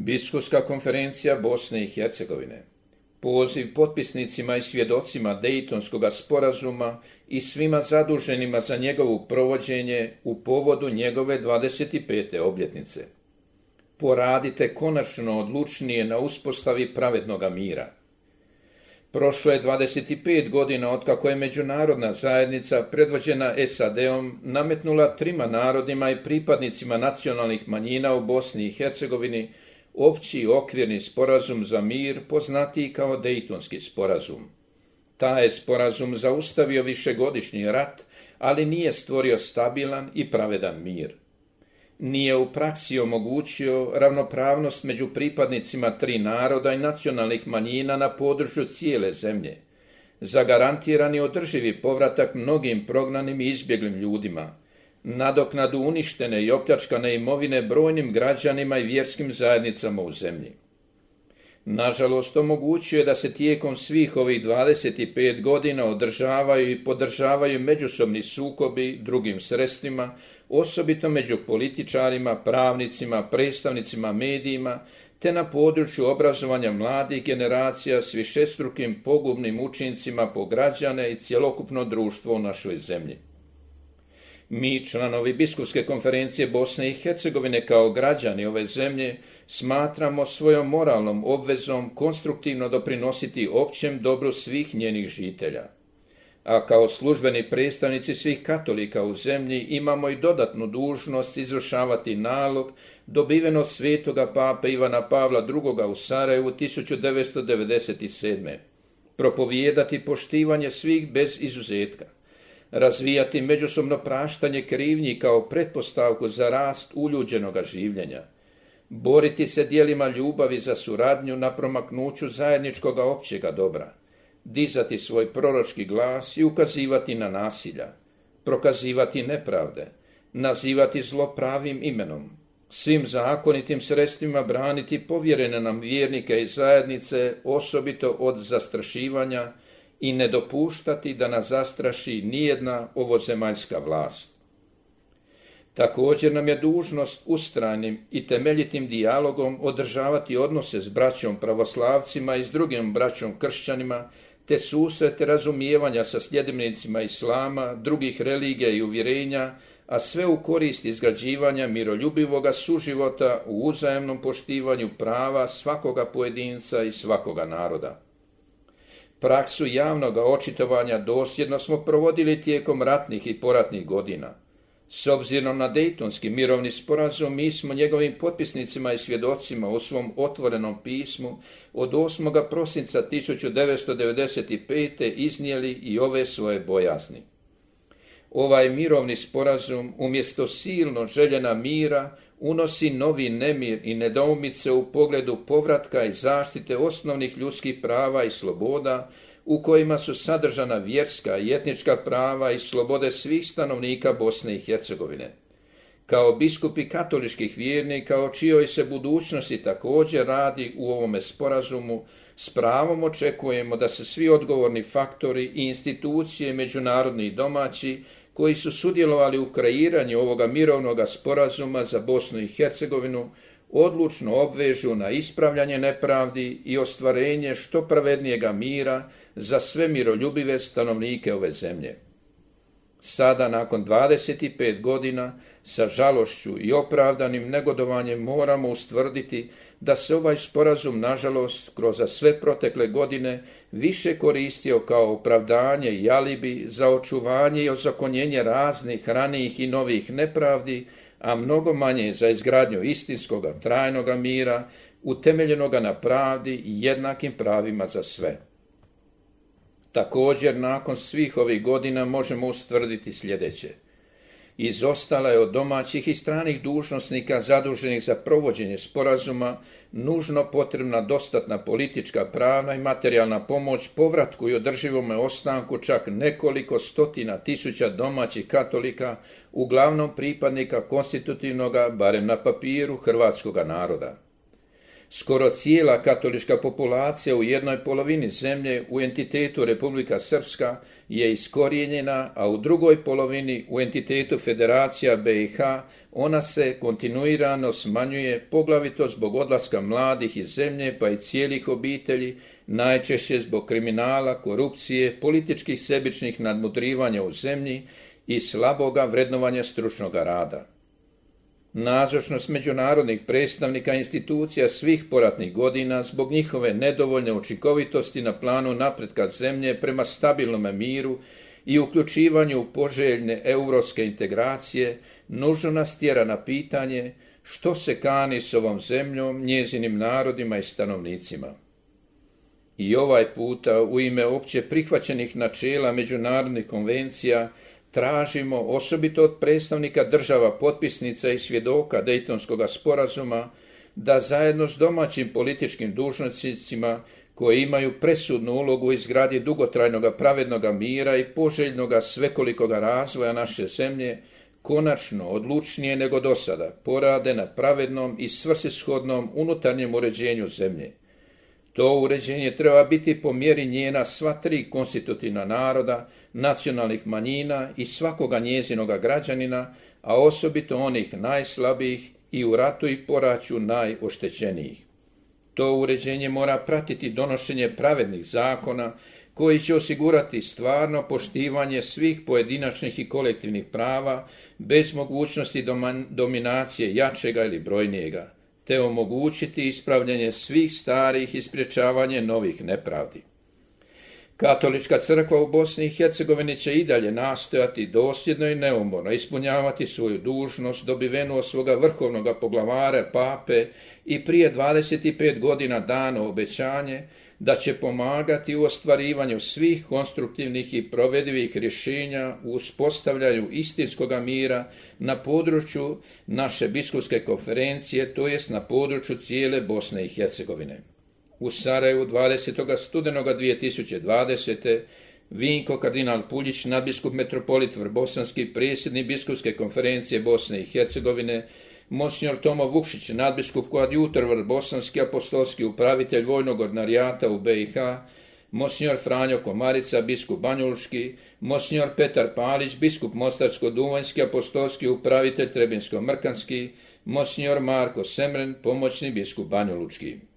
Biskupska konferencija Bosne i Hercegovine. Poziv potpisnicima i svjedocima Dejtonskog sporazuma i svima zaduženima za njegovo provođenje u povodu njegove 25. obljetnice. Poradite konačno odlučnije na uspostavi pravednoga mira. Prošlo je 25 godina otkako je međunarodna zajednica predvođena SAD-om nametnula trima narodima i pripadnicima nacionalnih manjina u Bosni i Hercegovini opći okvirni sporazum za mir, poznatiji kao Dejtonski sporazum. Taj je sporazum zaustavio višegodišnji rat, ali nije stvorio stabilan i pravedan mir. Nije u praksi omogućio ravnopravnost među pripadnicima tri naroda i nacionalnih manjina na području cijele zemlje. Zagarantirani održivi povratak mnogim prognanim i izbjeglim ljudima, nadoknadu uništene i opljačkane imovine brojnim građanima i vjerskim zajednicama u zemlji. Nažalost, omogućuje da se tijekom svih ovih 25 godina održavaju i podržavaju međusobni sukobi drugim sredstvima, osobito među političarima, pravnicima, predstavnicima medijima, te na području obrazovanja mladih generacija s višestrukim pogubnim učincima po građane i cjelokupno društvo u našoj zemlji. Mi, članovi Biskupske konferencije Bosne i Hercegovine, kao građani ove zemlje, smatramo svojom moralnom obvezom konstruktivno doprinositi općem dobru svih njenih žitelja. A kao službeni predstavnici svih katolika u zemlji imamo i dodatnu dužnost izvršavati nalog dobiven od svetoga pape Ivana Pavla II. U Sarajevu 1997. Propovijedati poštivanje svih bez izuzetka. Razvijati međusobno praštanje krivnji kao pretpostavku za rast uljuđenoga življenja. Boriti se djelima ljubavi za suradnju na promaknuću zajedničkoga općega dobra. Dizati svoj proročki glas i ukazivati na nasilja. Prokazivati nepravde. Nazivati zlo pravim imenom. Svim zakonitim sredstvima braniti povjerene nam vjernike i zajednice, osobito od zastrašivanja, i ne dopuštati da nas zastraši nijedna ovozemaljska vlast. Također nam je dužnost ustrajnim i temeljitim dijalogom održavati odnose s braćom pravoslavcima i s drugim braćom kršćanima, te susrete razumijevanja sa sljedbenicima islama, drugih religija i uvjerenja, a sve u korist izgrađivanja miroljubivoga suživota u uzajamnom poštivanju prava svakoga pojedinca i svakoga naroda. Praksu javnoga očitovanja dosljedno smo provodili tijekom ratnih i poratnih godina. S obzirom na Dejtonski mirovni sporazum, mi smo njegovim potpisnicima i svjedocima u svom otvorenom pismu od 8. prosinca 1995. iznijeli i ove svoje bojazni. Ovaj mirovni sporazum umjesto silno željena mira unosi novi nemir i nedoumice u pogledu povratka i zaštite osnovnih ljudskih prava i sloboda, u kojima su sadržana vjerska i etnička prava i slobode svih stanovnika Bosne i Hercegovine. Kao biskupi katoličkih vjernika, o čijoj se budućnosti također radi u ovome sporazumu, s pravom očekujemo da se svi odgovorni faktori i institucije, međunarodni i domaći, koji su sudjelovali u kreiranju ovoga mirovnoga sporazuma za Bosnu i Hercegovinu, odlučno obvežu na ispravljanje nepravdi i ostvarenje što pravednijega mira za sve miroljubive stanovnike ove zemlje. Sada, nakon 25 godina, sa žalošću i opravdanim negodovanjem moramo ustvrditi da se ovaj sporazum, nažalost, kroz sve protekle godine više koristio kao opravdanje i alibi za očuvanje i ozakonjenje raznih ranijih i novih nepravdi, a mnogo manje za izgradnju istinskoga, trajnoga mira, utemeljenoga na pravdi i jednakim pravima za sve. Također, nakon svih ovih godina možemo ustvrditi sljedeće. Izostala je od domaćih i stranih dužnosnika zaduženih za provođenje sporazuma nužno potrebna dostatna politička, pravna i materijalna pomoć povratku i održivome ostanku čak nekoliko stotina tisuća domaćih katolika, uglavnom pripadnika konstitutivnoga, barem na papiru, hrvatskoga naroda. Skoro cijela katolička populacija u jednoj polovini zemlje u entitetu Republika Srpska je iskorijenjena, a u drugoj polovini u entitetu Federacija BiH ona se kontinuirano smanjuje, poglavito zbog odlaska mladih iz zemlje pa i cijelih obitelji, najčešće zbog kriminala, korupcije, političkih sebičnih nadmudrivanja u zemlji i slaboga vrednovanja stručnoga rada. Nazočnost međunarodnih predstavnika institucija svih poratnih godina zbog njihove nedovoljne učinkovitosti na planu napretka zemlje prema stabilnom miru i uključivanju u poželjne europske integracije nužno nas tjera na pitanje što se kani s ovom zemljom, njezinim narodima i stanovnicima. I ovaj puta u ime opće prihvaćenih načela međunarodnih konvencija tražimo, osobito od predstavnika država potpisnica i svjedoka Dejtonskog sporazuma, da zajedno s domaćim političkim dužnosnicima koji imaju presudnu ulogu u izgradnji dugotrajnog pravednog mira i poželjnog svekolikog razvoja naše zemlje, konačno, odlučnije nego do sada, porade na pravednom i svrsishodnom unutarnjem uređenju zemlje. To uređenje treba biti po mjeri njena sva tri konstitutivna naroda, nacionalnih manjina i svakoga njezinoga građanina, a osobito onih najslabijih i u ratu i poraću najoštećenijih. To uređenje mora pratiti donošenje pravednih zakona koji će osigurati stvarno poštivanje svih pojedinačnih i kolektivnih prava bez mogućnosti dominacije jačega ili brojnijega, te omogućiti ispravljanje svih starih i sprječavanje novih nepravdi. Katolička crkva u Bosni i Hercegovini će i dalje nastojati dosljedno i neumorno ispunjavati svoju dužnost dobivenu od svoga vrhovnog poglavara pape i prije 25 godina dano obećanje da će pomagati u ostvarivanju svih konstruktivnih i provedivih rješenja u uspostavljanju istinskog mira na području naše biskupske konferencije, to jest na području cijele Bosne i Hercegovine. U Sarajevu 20. studenoga 2020. Vinko kardinal Puljić, nadbiskup metropolit Vrbosanski, predsjednik biskupske konferencije Bosne i Hercegovine, Monsignor Tomo Vukšić, nadbiskup koadjutor Vrbosanski, apostolski upravitelj vojnog ordinarijata u BiH, Monsignor Franjo Komarica, biskup Banjalučki, Monsignor Petar Palić, biskup Mostarsko-duvanjski, apostolski upravitelj Trebinsko-mrkanski, Monsignor Marko Semren, pomoćni biskup Banjalučki.